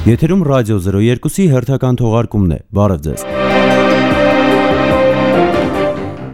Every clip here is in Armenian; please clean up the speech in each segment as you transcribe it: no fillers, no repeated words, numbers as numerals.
Եթերում ռադիո 02-ի հերթական թողարկումն է։ Բարև ձեզ։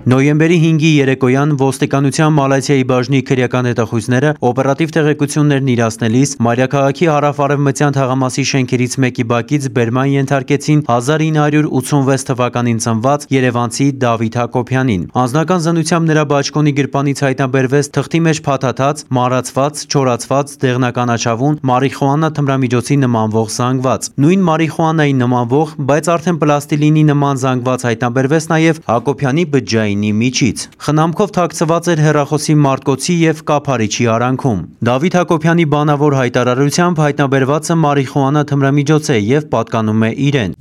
Նոյեմբերի 5-ի երեկոյան ոստիկանության Մալաթիայի բաժնի քրեական հետախույզները օպերատիվ տեղեկություններն իրացնելիս Մայրաքաղաքի հարավ-արևմտյան թաղամասի շենքերից մեկի բակից բերման ենթարկեցին 1986 թվականին ծնված երևանցի Դավիթ Հակոբյանին։ Անձնական զննությամբ նրա բաճկոնի գրպանից հայտնաբերվեց թղթի մեջ փաթաթած, մարացված, չորացված, դեղնականաչավուն մարիխուանա թմրամիջոցի նմանվող զանգված։ Նույն մարիխուանային նմանվող, բայց արդեն պլաստիլինի նման զանգված հայտնաբերվեց նաև Հակոբյանի բջջային միջից։ Խնամքով թաքցված էր հեռախոսի մարտկոցի եւ կափարիչի արանքում։ Դավիթ Հակոբյանի բանավոր հայտարարությամբ հայտնաբերվածը մարիխուանա թմրամիջոց է եւ պատկանում է իրեն։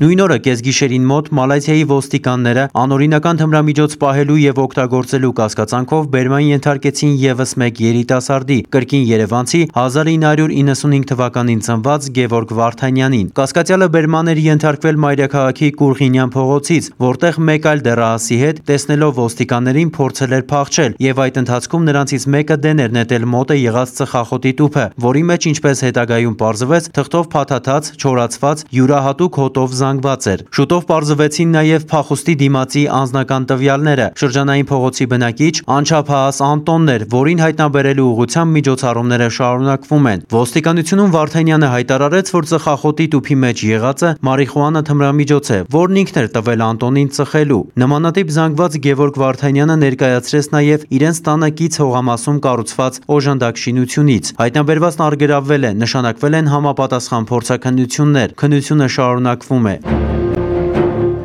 Նույն օրը կեսգիշերին մոտ Մալաթիայի ոստիկանները անօրինական թմրամիջոց պահելու եւ օգտագործելու կասկածանքով բերման ենթարկեցին եւս մեկ երիտասարդի, կրկին երևանցի 1995 թվականին ծնված Գևորգ Վարդանյանին։ Կասկածյալը բերման էր ենթարկվել Մայրաքաղաքի Կուրղինյան փողոցից, որտեղ մեկ այլ դեռահասի հետ տեսնելով ոստիկաններին փորձել էր փախչել եւ այդ ընթացքում նրանցից մեկը դեն էր նետել մոտ է եղած ծխախոտի տուփը, որի մեջ ինչպես հետագայում պարզվեց թղթով փաթաթած, չորացված, յուրահատուկ հոտով զանգված էր։ Շուտով պարզվեցին նաև փախուստի դիմացի անձնական տվյալները։ Շրջանային փողոցի բնակիչ անչափահաս Անտոնն էր, որին հայտնաբերելու ուղղությամբ միջոցառումները շարունակվում են։ Ոստիկանությունում Վարդանյանը հայտարարեց, որ ծխախոտի տուփի մեջ եղածը մարիխուանա թմրամիջոց է, որն ինքն էր տվել Անտոնին ծխելու։ Նմանատիպ զանգված Գևորգ Վարդանյանը ներկայացրեց նաև իրենց տանը կից հողամասում կառուցված օժանդակ շինությունից։ Հայտնաբերվածն առգրավվել է, նշանակվել են համապատասխան փորձաքննություններ։ Քննությունը շարունակվում է։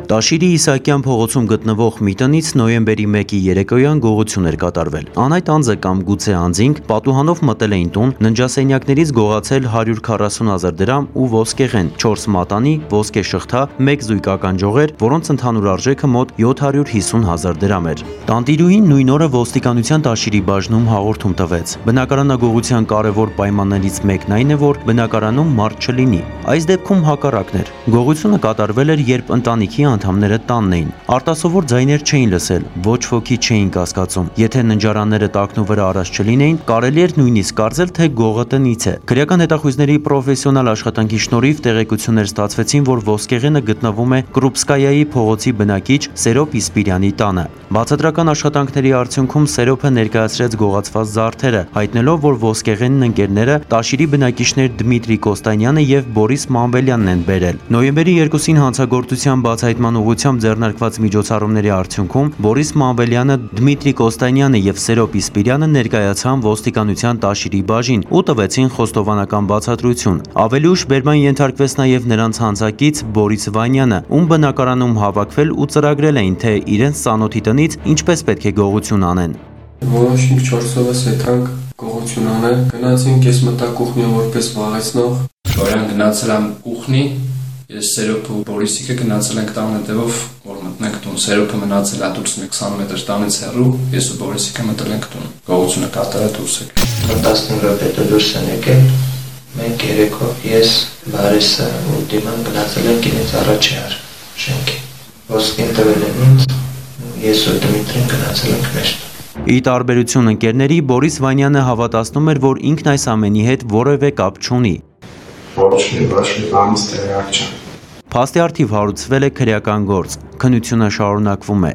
Տաշիրի Իսահակյան փողոցում գտնվող մի տնից նոյեմբերի 1-ի երեկոյան գողություն էր կատարվել։ Անհայտ անձը կամ գուցե անձինք պատուհանով մտել էին տուն, ննջասենյակներից գողացել 140,000 դրամ ու ոսկեղեն, 4 մատանի, ոսկե շղթա, 1 զույգ ականջողեր, որոնց ընդհանուր արժեքը մոտ 750,000 դրամ էր։ Տանտիրուհին նույն օրը ոստիկանության Տաշիրի բաժնում հաղորդում տվեց։ Բնակարանագողության կարևոր պայմաններից մեկն այն է, որ բնակարանում մարդ չլինի։ Այս դեպքում հակառակն էր։ Գողությունը կատարվել էր, երբ ընտանիքի անդամները տանն էին։ Արտասովոր ձայներ չէին լսել, ոչ ոքի չէին կասկածում։ Եթե ննջարանները տակնու վրա առած չլինեին, կարելի էր նույնիսկ կարծել, թե գողը տնից է։ Քրեական հետախույզների պրոֆեսիոնալ աշխատանքի շնորհիվ տեղեկություններ ստացվեցին, որ ոսկեղենը գտնվում է Կրուպսկայայի փողոցի բնակիչ Սերոպ Իսպիրյանի տանը։ Բացատրական աշխատանքների արդյունքում Սերոպը ներկայացրեց գողացված զարդերը, հայտնելով, որ ոսկեղենն ընկերները Տաշիրի բնակիչներ Դմիտրի Կոստանյանը եւ Բորիս Մանվելյանն են բերել։ Նոյեմբերի 2-ին հանցագործության բացահայտման ուղղությամբ ձեռնարկված միջոցառումների արդյունքում Բորիս Մանվելյանը, Դմիտրի Կոստանյանը եւ Սերոպ Իսպիրյանը ներկայացան ոստիկանության Տաշիրի բաժին ու տվեցին խոստովանական բացատրություն։ Ավելի ուշ բերման ենթարկվեց նաեւ նրանց հանցակից Բորիս Վանյանը, ում բնակարանում հավաքվել ու ծրագրել էին, թե իրենց ծանոթի տնից ինչպես պետք է գողություն անեն։ Որոշինք 4-ով եկանք գողություն անել, գնացինք, ես մտա կուխնի որպես վաղեցնող, Շորյան գնացել եմ կուխնի, ես Սերոպը ու Բորիսիկը գնացել ենք տան հետևով, որ մտնենք տուն, Սերոպը մնացել է դուրս 20 մետր տանից հեռու, ես ու Բորիսիկը մտել ենք տուն, գողությունը կատարել դուրս եք։ 15 րոպե դուրս են եկել, մենք երեքով ես, Բարիսը ու Դիման գնացել ենք իրենց առաջի շենքի, ոսկին տվել են ինձ, ես ու Դմիտրին գնացել ենք մեր տուն։ Ի տարբերություն ընկերների, Բորիս Վանյանը հավատացնում էր, որ ինքն այս ամենի հետ որևէ կապ չունի։ Ոչ մի բանից տեղյակ չեմ։ Փաստի առթիվ հարուցվել է քրեական գործ։ Քննությունը շարունակվում է։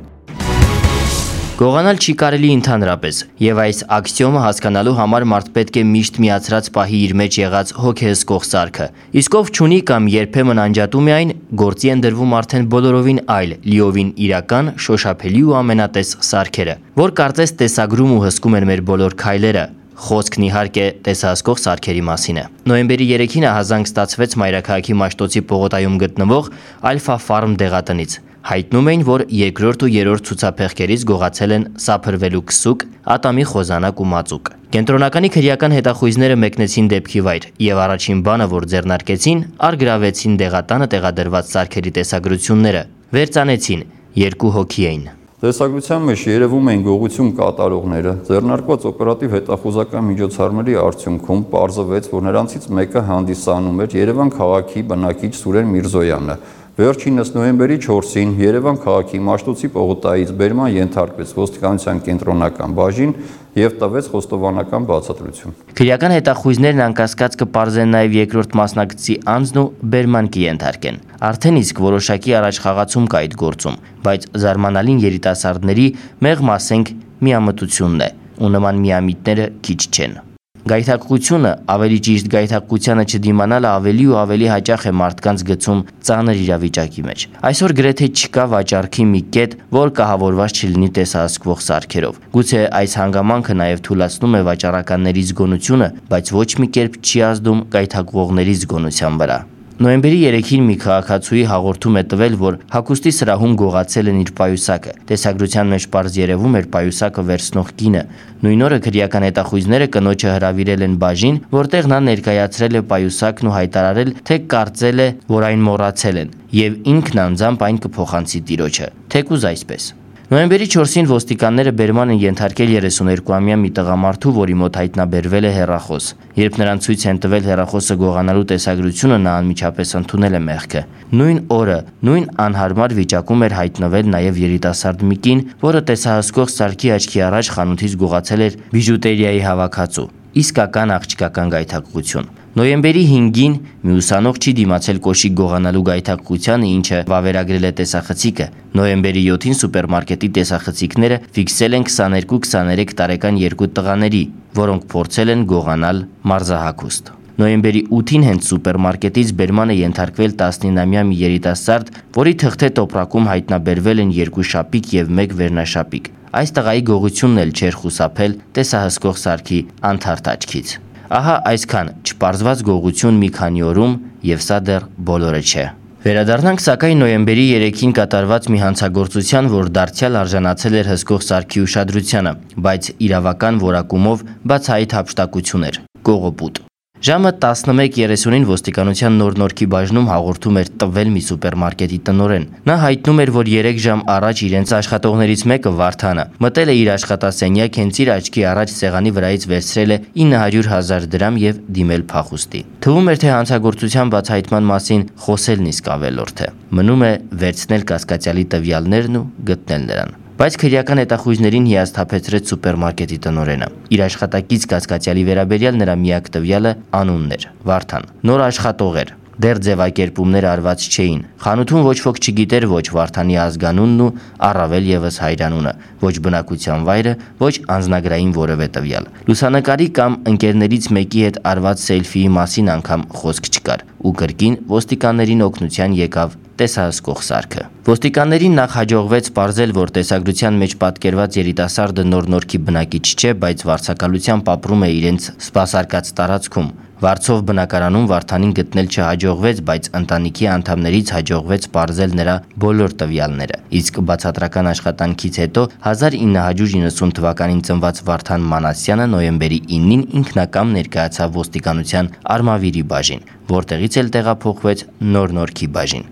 Գողանալ չի կարելի ընդհանրապես, եւ այս աքսիոմը հասկանալու համար մարդ պետք է միշտ միացրած պահի իր մեջ եղած հոգեհսկող սարքը։ Իսկ ով չունի կամ երբեմն անջատում է այն, գործի են դրվում արդեն բոլորովին այլ, լիովին իրական, շոշափելի ու ամենատես սարքերը, որ կարծես տեսագրում ու հսկում են մեր բոլոր քայլերը։ Խոսքն իհարկե տեսահսկող սարքերի մասին է։ Նոյեմբերի 3-ին ահազանգ ստացվեց Մայրաքաղաքի Մաշտոցի պողոտայում գտնվող Ալֆա Ֆարմ դեղատնից։ Հայտնում էին, որ երկրորդ ու երրորդ ցուցափեղկերից գողացել են սափրվելու քսուկ, ատամի խոզանակ ու մածուկ։ Կենտրոնականի քրեական հետախույզները մեկնեցին դեպքի վայր եւ առաջին բանը, որ ձեռնարկեցին, առգրավեցին դեղատանը տեղադրված սարքերի տեսագրությունները։ Վերծանեցին, 2 հոգի էին։ Տեսագրության մեջ երևում էին գողություն կատարողները, ձեռնարկված օպերատիվ հետախուզական միջոցառումների արդյունքում պարզվեց, որ նրանցից մեկը հանդիսանում էր Երևան քաղաքի բնակիչ Սուրեն Միրզոյանը։ Վերջինս նոյեմբերի 4-ին Երևան քաղաքի Մաշտոցի պողոտայից բերման ենթարկվեց ոստիկանության կենտրոնական բաժին եւ տվեց խոստովանական բացատրություն։ Քրեական հետախույզներն անկասկած կպարզեն նաեւ երկրորդ մասնակցի անձն ու բերման կենթարկեն։ Արդեն իսկ որոշակի առաջխաղացում կա այդ գործում, բայց զարմանալին երիտասարդների մեղմ ասենք միամտությունն է, ու նման միամիտները քիչ չեն։ Գայթակղությունը, ավելի ճիշտ գայթակղությանը չդիմանալը ավելի ու ավելի հաճախ է մարդկանց գցում ծանր իրավիճակի մեջ։ Այսօր գրեթե չկա վաճառքի մի կետ, որ կահավորված չլինի տեսահսկվող սարքերով։ Գուցե այս հանգամանքը նաև թուլացնում է վաճառականների զգոնությունը, բայց ոչ մի կերպ չի ազդում գայթակղողների զգոնության վրա։ Նոյեմբերի 3-ին մի քաղաքացուի հաղորդում է տվել, որ հագուստի սրահում գողացել են իր պայուսակը։ Տեսագրության մեջ պարզ երևում էր պայուսակը վերցնող կինը։ Նույն օրը քրեական հետախույզները կնոջը հրավիրել են բաժին, որտեղ նա ներկայացրել է պայուսակն ու հայտարարել, թե կարծել է, որ այն մոռացել են, եւ ինքն անձամբ այն կփոխանցի տիրոջը։ Թեկուզ այսպես։ Նոյեմբերի 4-ին ոստիկանները բերման են ենթարկել 32-ամյա մի տղամարդու, որի մոտ հայտնաբերվել է հեռախոս։ Երբ նրան ցույց են տվել հեռախոսը գողանալու տեսագրությունը, նա անմիջապես ընդունել է մեղքը։ Նույն օրը, նույն անհարմար վիճակում էր հայտնվել նաև երիտասարդ մի կին, որը տեսահսկող սարքի աչքի առաջ խանութից գողացել էր բիժուտերիայի հավաքածու։ Իսկական աղջկական գայթակղություն։ Նոյեմբերի 5-ին մի ուսանող չի դիմացել կոշիկ գողանալու գայթակղությանը, ինչը վավերագրել է տեսախցիկը։ Նոյեմբերի 7-ին սուպերմարկետի տեսախցիկները ֆիքսել են 22-23 տարեկան երկու տղաների, որոնք փորձել են գողանալ մարզահագուստ։ Նոյեմբերի 8-ին հենց սուպերմարկետից բերման է ենթարկվել 19-ամյա մի երիտասարդ, որի թղթե տոպրակում հայտնաբերվել են 2 շապիկ եւ 1 վերնաշապիկ։ Այս տղայի գողությունն էլ չէր խուսափել տեսահսկող սարքի անթարթ աչքից։ Ահա այսքան չպարզված գողություն մի քանի օրում, եւ սա դեռ բոլորը չէ։ Վերադառնանք սակայն նոյեմբերի 3-ին կատարված մի հանցագործության, որ դարձյալ արժանացել էր հսկող սարքի ուշադրությանը, բայց իրավական որակումով բացահայտ հափշտակություն էր՝ կողոպուտ։ Ժամը 11:30-ին ոստիկանության Նոր-Նորքի բաժնում հաղորդում էր տվել մի սուպերմարկետի տնօրեն։ Նա հայտնում էր, որ 3 ժամ առաջ իրենց աշխատողներից մեկը Վարդանը մտել է իր աշխատասենյակ, հենց իր աչքի առաջ սեղանի վրայից վերցրել է 900,000 դրամ եւ դիմել փախուստի։ Թվում էր, թե հանցագործության բացահայտման մասին խոսելն իսկ ավելորդ է։ Մնում է վերցնել կասկածյալի տվյալներն ու գտնել նրան։ Բայց քրեական հետախույզներին հիասթափեցրեց սուպերմարկետի տնօրենը։ Իր աշխատակից կասկածյալի վերաբերյալ նրա միակ տվյալը անունն էր՝ Վարդան։ Նոր աշխատող էր։ Դեռ ձևակերպումներ արված չէին։ Խանութում ոչ ոք չգիտեր ոչ Վարդանի ազգանունն ու առավել եւս հայրանունը, ոչ բնակության վայրը, ոչ անձնագրային որևէ տվյալ։ Լուսանկարի կամ ընկերներից մեկի հետ արված սելֆիի մասին անգամ խոսք չկար, ու կրկին ոստիկաններին օգնության եկավ տեսահսկող սարքը։ Ոստիկաններին նախ հաջողվեց պարզել, որ տեսագրության մեջ պատկերված երիտասարդը Նոր-Նորքի բնակիչ չէ, բայց վարձակալությամբ ապրում է իրենց սպասարկած տարածքում։ Վարձով բնակարանում Վարդանին գտնել չհաջողվեց, բայց ընտանիքի անդամներից հաջողվեց պարզել նրա բոլոր տվյալները։ Իսկ բացատրական աշխատանքից հետո 1990 թվականին ծնված Վարդան Մանասյանը նոյեմբերի 9-ին ինքնակամ ներկայացավ ոստիկանության Արմավիրի բաժին, որտեղից էլ տեղափոխվեց Նոր-Նորքի բաժին։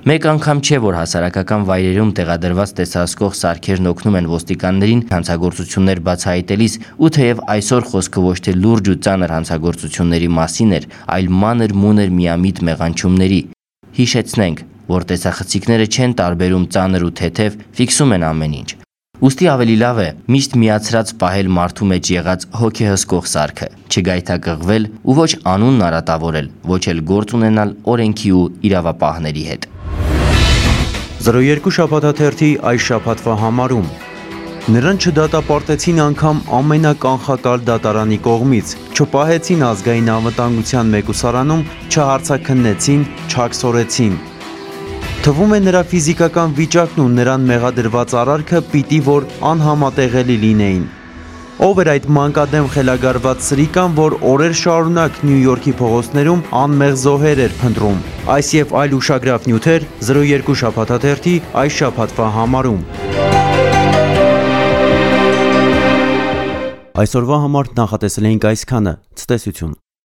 Մեկ անգամ չէ, որ հասարակական վայրերում տեղադրված տեսահսկող սարքերն օգնում են ոստիկաններին հանցագործություններ բացահայտելիս, ու թեև այսօր խոսքը ոչ թե լուրջ ու ծանր հանցագործությունների մասին էր, այլ մանր-մունր միամիտ մեղանչումների։ Հիշեցնենք, որ տեսախցիկները չեն տարբերում ծանր ու թեթև, ֆիքսում են ամեն ինչ։ Ուստի ավելի լավ է միշտ միացրած պահել մարդու մեջ եղած հոգեհսկող սարքը, չգայթակղվել ու ոչ անունն արատավորել, ոչ էլ գործ ունենալ օրենքի ու իրավապահների հետ։ 02 շաբաթաթերթի այս շաբաթվա համարում նրան չդատապարտեցին անգամ ամենականխակալ դատարանի կողմից, չպահեցին ազգային անվտանգության մեկուսարանում, չհարցաքննեցին, չաքսորեցին։ Թվում է նրա ֆիզիկական վիճակն ու նրան մեղադրված արարքը պիտի որ անհամատեղելի լինեին։ Ով էր այդ մանկադեմ խելագարված սրիկան, որ օրեր շարունակ Նյու Յորքի փողոցներում անմեղ զոհեր էր փնտրում։ Այս եւ այլ ուշագրավ նյութեր 02 շաբաթաթերթի այս շաբաթվա համարում։ Այսօրվա համար նախատեսել էինք այսքանը։ Ցտեսություն։